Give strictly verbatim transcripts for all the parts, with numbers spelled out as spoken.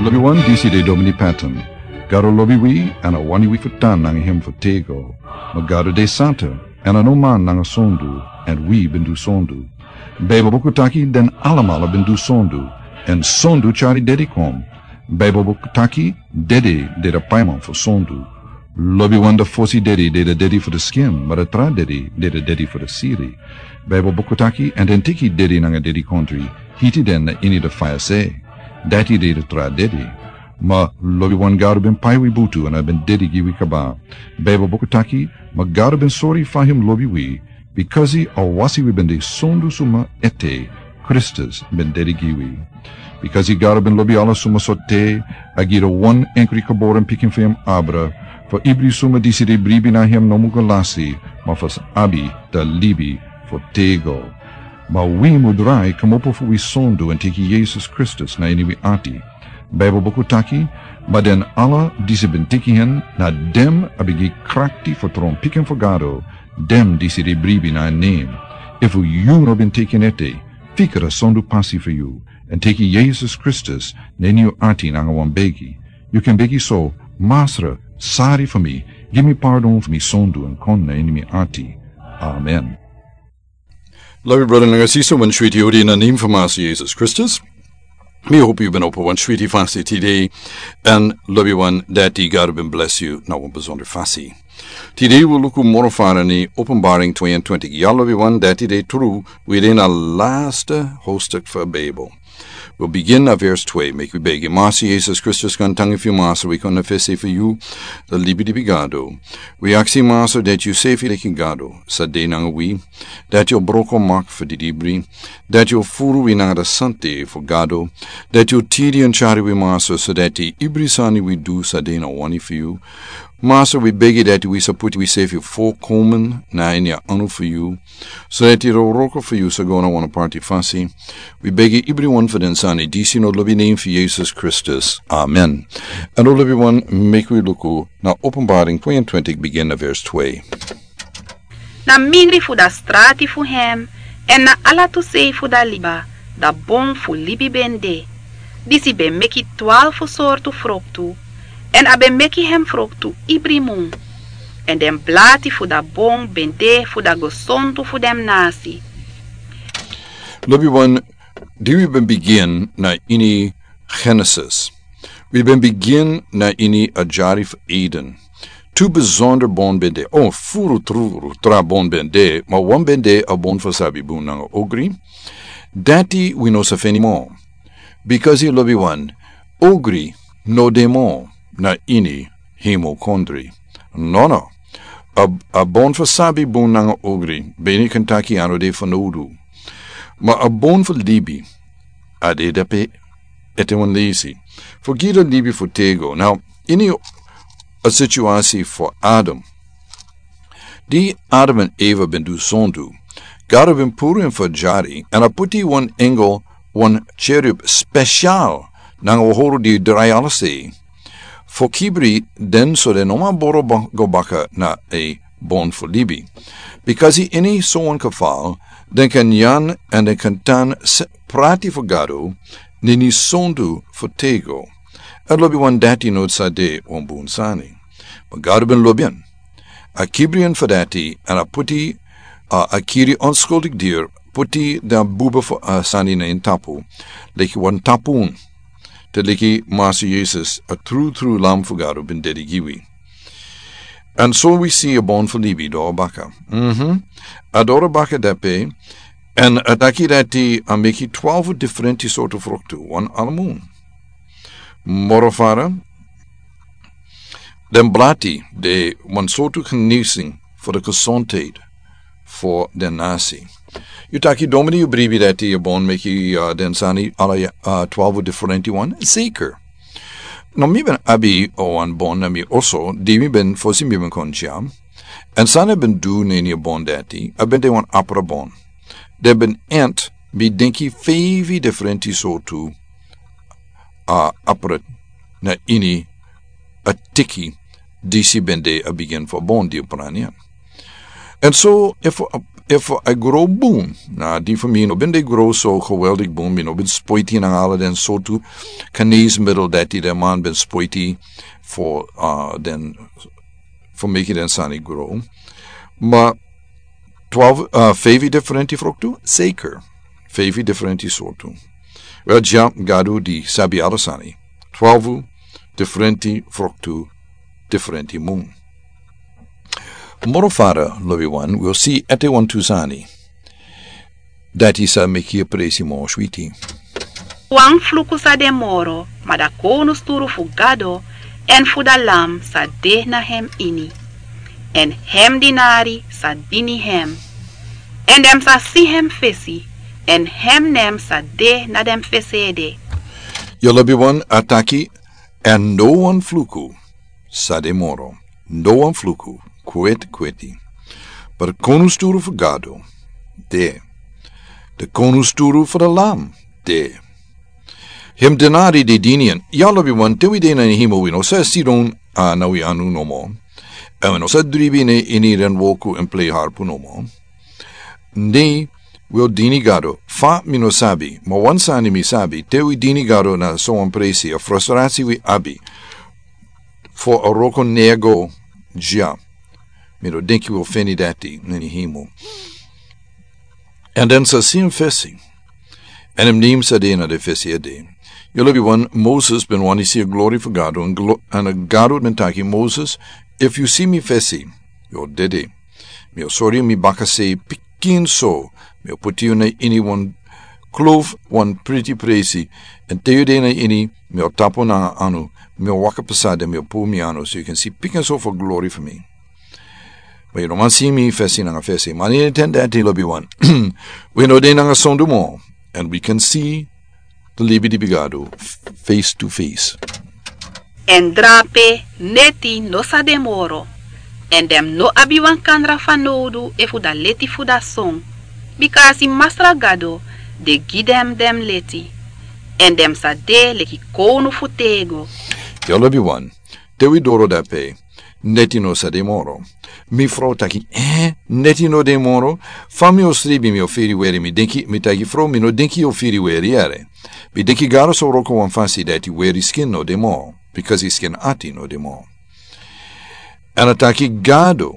Lobi wan, disi de Domini Patton. Gado lobi wi, èn a wani wi fu tan nanga hem fu tego. Ma Gado de santa, èn a no man nanga sondu, èn wi ben du sondu. Baibel buku taki den alamala ben du sondu, èn sondu tyari dedi kon. Baibel buku taki dedi de da paiman fu sondu. Lobi wan, da fosi dedi de da dedi fu da skin, ma da tra dedi de da dedi fu da siri. Baibel buku taki, èn den teki dedi nanga dedikondri, hiti den na ini da faya se. Dati de da tra dedi. Ma lobi wan, Gado ben pai wi butu èn a ben dedi gi wi kaba. Baibel buku taki, ma Gado ben sori fa hem lobi wi, bikasi a wasi wi ben de sondu suma ete, Kristus ben dedi gi wi. Bikasi Gado ben lobi ala suma so te, a gi da wan enkri geboren pikin fu hem abra, fu ibri suma disi de bribi na hem no mu go lasi, ma fu sa abi da libi fu tego. Ma wi mu drai kmopo fu wi sondu èn teki Yesus Kristus na ini wi ati. Baibel buku taki, ma den ala disi ben teki hen, na den a ben gi krakti fu tron pikin fu Gado, den disi de bribi na en nen. Efu yu no ben teki en ete, fika da sondu pasi fu yu, èn teki Yesus Kristus na ini yu ati nanga wan begi. Yu kan begi so: Masra, sari fu mi, gi mi pardon fu mi sondu èn kon na ini mi ati. Amen. Lobi brada nanga sisa, wan switi odi na nen fu Masa Yesus Kristus. Mi hopi yu ben opo wan switi fasi tide, èn lobi wan, dati Gado ben blesi yu na wan besonder fasi. Tide wi luku moro fara ini Openbaring tweeëntwintig. Ya lobi wan, dati de tru, wi de na lasta hostuk fu Baibel. Wi bigin na vers twee. Meki wi begi. Masi Yesus Kristus, kon tangi fu yu, Masa, wi kon na fesi fu yu, da libi di bigado. Wi aksi, Masa, dati yu sefi leki Gado, sa de nanga wi, dati yu broko mak fu di dibri, dati yu furu wi nanga da sante fu Gado, dati yu tiri èn tyari wi, Masa, so dati ibri sani wi du sa de na wani fu yu. Masa, wi begi dati wi sa puti wi sefi fokomen na ini a anu fu yu, so dati da wroko fu yu sa go na wan aparti fasi. Wi begi ibri wan fu den sani disi na lobi nen fu Yesus Kristus. Amen. Èn lobi wan, meki wi luku na Openbaring tweeëntwintig, bigin na vers twee. Na mindri fu da strati fu hem, èn na ala tu sei fu da liba, da bon fu libi ben de. Disi ben meki twalfu sortu froktu, èn a ben meki hem froktu ibri mun. Èn den blati fu da bon ben de fu da gesontu fu den nasi. Lobi wan, di wi ben bigin na ini Genesis. Wi ben bigin na ini a yari fu Eden. Tu besonder bon ben de. O, furu tru tra bon ben de, ma wan ben de a bon fu sabi bun nanga ogri. Dati wi no sa feni mo. Bikasi lobi wan, ogri no de mo na ini hemel kondre. Nono. A, a bon fu sabi bun nanga ogri, ben yu kan taki a no de fanowdu. Ma a bon fu libi, a de dape ete wan leisi. Fu gi da libi fu tego. Now, ini a situasi fu Adam. Di Adam èn Eva ben du sondu, Gado ben puru en fu yari, èn a puti wan engel, wan cherub spesial, nanga wan hori di drai ala sei, fu kibri den so den no man boro ba-, go baka na a bon fu libi. Bikasi ini so wan kafal, den kan nyan èn den kan tan s-, prati fu Gado, na ini sondu fu tego. Èn lobi wan, dati no sa de wan bun sani. Ma Gado ben lobi en. A kibri en fu dati, èn a puti, a, a kiri onskuldig dir, puti da buba fu a sani na en tapu, leki wan tapun. Te leki Masa Yesus, a tru tru Lam fu Gado, ben dedi gi wi. Èn so wi si a bon fu libi doro baka. Mhm. A doro baka dape, èn a taki dati a meki twalfu diferenti sortu froktu, wan ala mun. Moro fara, den blati de wan sortu geneesing fu da gesondheid fu den nasi. Yu taki, Domini, yu bribi dati a bon meki, uh, den sani ala, uh, twalfu diferenti wan? Zeker. No, mi ben abi, uh, wan bon na mi oso, di mi ben, fosi mi ben kon dya. Èn san a ben du na ini a bon dati, a ben de wan apra bon. Den ben ent, mi denki, feifi diferenti sortu, a apra na ini a tiki disi ben de a bigin fu a bon di a prani en. Èn so, efu a, efu a gro bun. Na di fu mi no ben de gro so geweldig bun, mi no ben spoiti nanga ala den sortu geneesmiddel dati den man ben spoiti fu, uh, den fu meki den sani gro. Ma twaalf, uh, feifi diferenti froktu? Zeker. Feifi diferenti sortu. Wel, ja, Gado di sabi ala sani. Twaalf diferenti froktu, diferenti mun. Moro fara, lobi wan, wi o si ete wantu sani. Dati sa meki a presi moro switi. Wan fluku sa de moro, ma da kownu sturu fu Gado, èn fu da Lam sa de na hem ini. Èn hem dinari sa dini hem. Èn den sa si hem fesi, èn hem nen sa de na den fesi ede. Yu lobi wan a taki, èn no wan fluku sa de moro. No wan fluku, kweti kweti. But kownu sturu fu Gado, de. De kownu sturu fu da Lam, de. Hem dinari de dini en. Yu lobi wan, te wi de na ini hemel wi no sa sidon, uh, na wi anu nomo. Èn wi no sa dribi na ini den woku èn plei harpu nomo. Ni wi o dini Gado, fa mi no sabi, ma wan sani mi sabi, te wi dini Gado na so wan presi, a frustrasi wi abi fu a wroko nego, ja. Mi no denki wi o feni dati na ini hemel. Èn den sa si hem fesi. Èn hem nen sa de na den fesi ede. Yu lobi wan, Moses ben wani si a glori fu Gado, èn glo-, èn a Gado ben taki, Moses, efu yu si mi fesi, yu o dede. Mi o sori yu mi bakasei pikin so, mi o puti yu na ini wan kloof, wan priti presi, èn te yu de na ini, mi o tapu nanga anu, mi o waka pasa den, mi o puru mi anu, so yu kan si pikin so fu a glori fu mi. Ma yu no man si mi fesi nanga fesi. Ma ini a ten dati, lobi wan, wi no de nanga sondu moro, èn wi kan si di libi di Gado, f-, face to face. Èn drape, neti no sa de moro, èn den no abi wan kandra fanowdu efu da leti fu da son, bika a si Masra Gado de gi den den leti, èn den sa de leki kownu fu tego. Yu lobi wan, te wi doro dape, neti no sa de moro. Mi frow taki, eh, neti no de moro? Fa mi o sribi mi o firi weri, mi denki, mi taki frow, mi no denki yu o firi weri yere. Mi denki Gado sa wroko wan fasi dati weri skin no de moro, bikasi skin ati no de moro. Èn a taki Gado,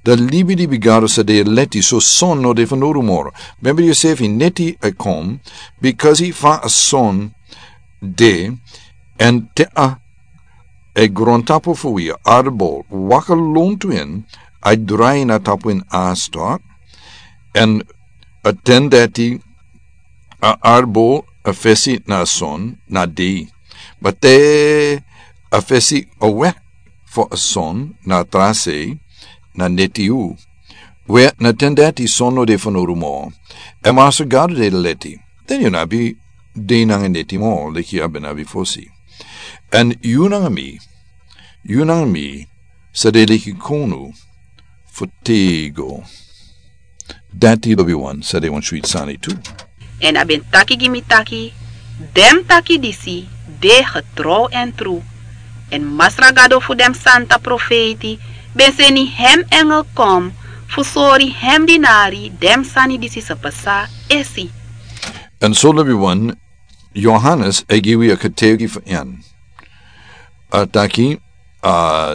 da libi di Gado sa de leti, so son no de fanowdu moro. Member yusefi, neti e kon, bikasi fa a son de, èn te a e grontapu fu wi, a arbol, waka lontu ini, a drai na tapu ini a stok, èn a ten dati a arbol a fesi na son, na dei. Ma te a fesi awe fu a son, na tra sei, na neti yu. We na ten dati son no de fanowdu moro. Èn Masra Gado de leti. Den yu no abi dei nanga neti moro, leki a ben abi fosi. Èn yu nanga mi, yu nanga mi, sa de leki kownu fu tego. Dati, lobi wan, sa de wan switi sani tu. Èn a ben taki gi mi taki, den taki disi de getrow èn tru. Èn Masra Gado fu den santa profeiti ben seni hem engel kon fu sori hem dinari den sani disi sa pasa esi. Èn so, lobi wan, Yohanes e gi wi a kategi fu en. A taki, a,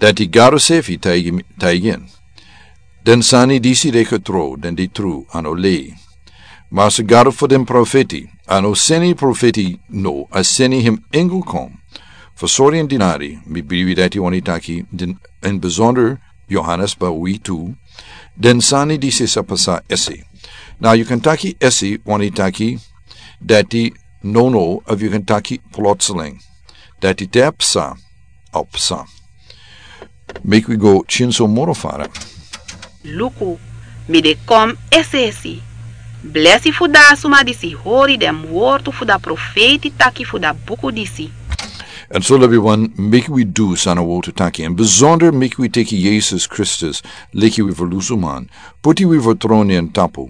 dati Gado sefi taigi, taigi en. Den sani disi de getrow, den de tru, a no lei. Masra Gado fu den profeti, a no seni profeti no, a seni hem engel kon fu sori en dinari, mi bribi dati wani taki, den, in besonder Yohanes, ma wi tu, den sani disi sa pasa esi. Now, yu kan taki esi wani taki dati nono, of yu kan taki plotseling. Dati te a psa, a psa. Meki wi go tyin so moro fara. Luku, mi de kon esi esi. Blesi fu da suma disi hori den wortu fu da profeiti taki fu da buku disi. Èn so, lobi wan, meki wi du san a wortu taki. Èn besonder meki wi teki Yesus Kristus leki wi ferlusuman. Puti wi fertrow na en tapu.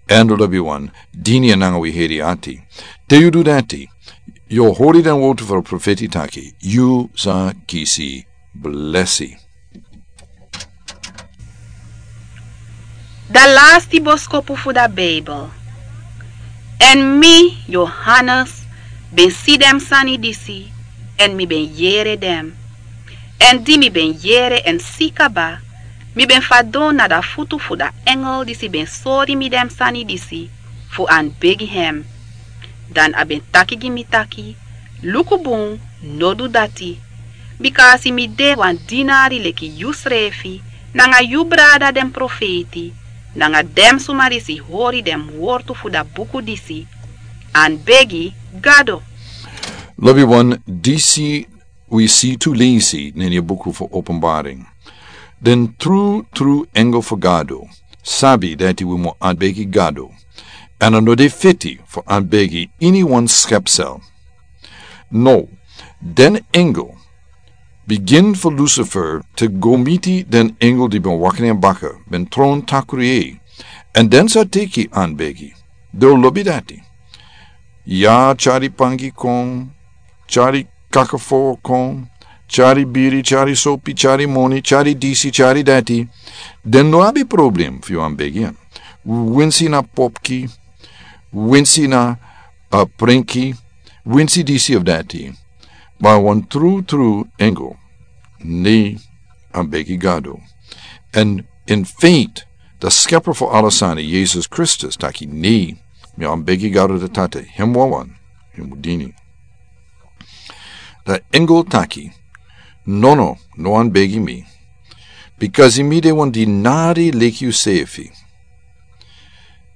Èn, lobi wan, dini en nanga wi heri ati. Te yu du dati, yu o hori den wortu fu a profeti taki, yu sa kisi blesi. Da lasti boskopu fu da Bijbel. Èn mi, Johannes, ben si den sani disi, èn mi ben yere den. Èn di mi ben yere èn si kaba, mi ben fadon na da futu fu da engel disi ben sori mi den sani disi, fu anbegi hem. Dan a ben taki gi mi taki: Luku bun, no du dati. Bika a si mi de wan dinari leki yusrefi nanga yu brada den profeiti, nanga den suma disi hori den wortu fu da buku disi, anbegi Gado. Lobi wan, disi wi si tu leisi na ini a buku fu Openbaring. Den trutru engel fu Gado sabi dati wi mu anbegi Gado, èn a no de feti fu anbegi ini wan skepsel. No, den engel, bigin fu Lucifer te go miti den engel di ben waka na en baka, ben tron takru yu, èn den sa teki anbegi. Den o lobi dati. Ya, tyari pangi kon, tyari kakafo kon, tyari biri, tyari sopi, tyari moni, tyari disi, tyari dati. Den no abi problem fu yu anbegi en. Winsi na popki, winsi na, a, prenki, winsi disi of dati. Ma wan trutru engel, ne anbegi Gado. Èn in feite, da skepper fu ala sani, Jesus Kristus, taki: Ne, mi anbegi Gado da Tata, hem wawan yu mu dini. Da engel taki: Nono, no anbegi mi. Bikasi mi de wan dinari leki yusefi,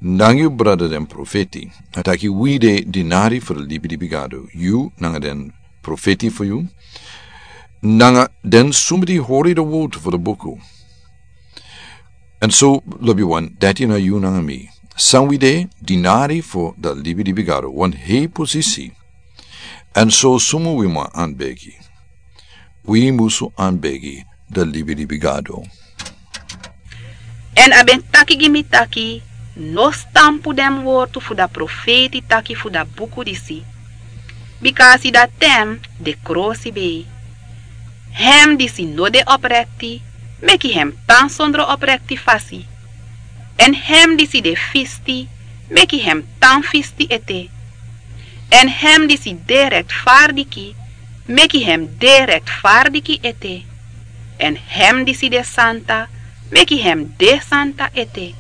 nanga yu brada den profeti. A taki: Wi de dinari fu da libilibi Gado, yu nanga den profeti fu yu, nanga den suma di hori da wortu fu da buku. Èn so, lobi wan, dati na yu nanga mi. San wi de, dinari fu da libilibi Gado, wan hei posisi. Èn so suma wi mu anbegi? Wi musu anbegi da libilibi Gado. Èn a ben taki gi mi taki: No stampu den wortu fu da profeti taki fu da buku disi. Bikasi da ten de krosibei. Hem disi no de oprekti, meki hem tan sondro oprekti fasi. Èn hem disi de fisti, meki hem tan fisti ete. Èn hem disi de rektfardiki, meki hem de rektfardiki ete. Èn hem disi de santa, meki hem de santa ete.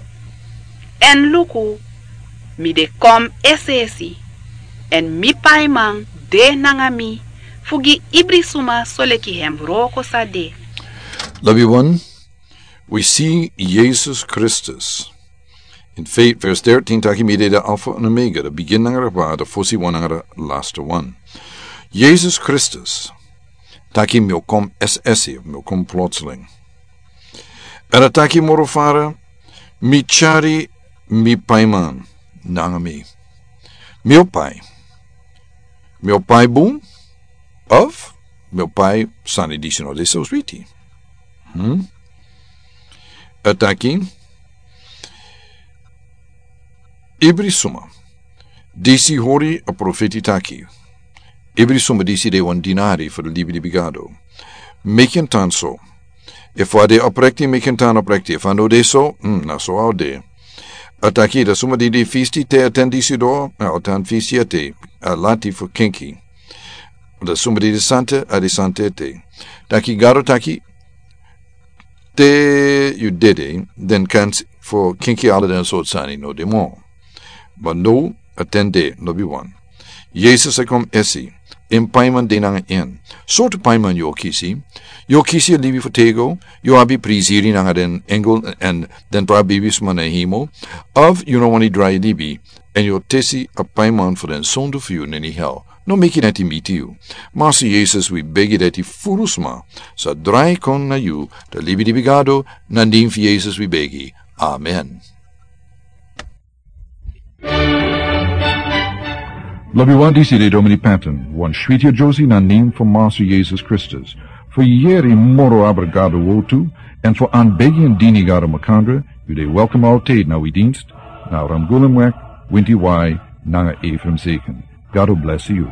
Èn luku, mi de kon es'esi, èn mi paiman de nanga mi, fu gi ibri suma soleki hem wroko sa de. Lobi wan, wi si Jesus Kristus. In feite, vers dertien taki: Mi de da Alfa en Omega, da bigin nanga da, da fosi wan nanga da lasti wan. Jesus Kristus taki: Mi o kon es'esi, mi o kon plotseling. Èn a taki moro fara: Mi tyari mi paiman nanga mi. Mi o pai. Mi o pai bun, of mi o pai sani disi no de so switi. Hmm? A taki: Ibri suma disi hori a profeti taki. Ibri suma disi de wan dinari fu da libilibi Gado. Meki en tan so. Efu a de oprekti, meki en tan oprekti. Efu a no de so, hmm, na so a o de. A taki: Da suma di de fisti te a ten disi doro, a o tan fisti ete, a lati fu kenki. Da suma di de santa, a de santa ete. Taki Gado taki: Te yu dede, den kan fu kenki ala den sortu sani no de moro. Ma now a ten de, lobi wan. Jesus e kon esi, en paiman de nanga en. Sortu paiman yu o kisi? Yu o kisi a libi fu tego, yu o abi priziri nanga den engel èn den tra bibisma na hemel, of yu no wani drai libi, èn yu o tesi a paiman fu den sondu fu yu na ini hel? No meki dati miti yu. Master Jesus, wi begi dati furu sma sa drai kon na yu, da libilibi Gado, na nen fu Jesus wi begi. Amen. Lobi wan, disi de Domini Patton, wan switi a Josie na nen fu Master Jesus Kristus. Fu yere moro abra Gado wortu, èn fu anbegi èn dini Gado makandra, yu de welkom altijd na wi dienst, na Ramgulumweg, winti wai, nanga Ephraim Zeken. God bless you.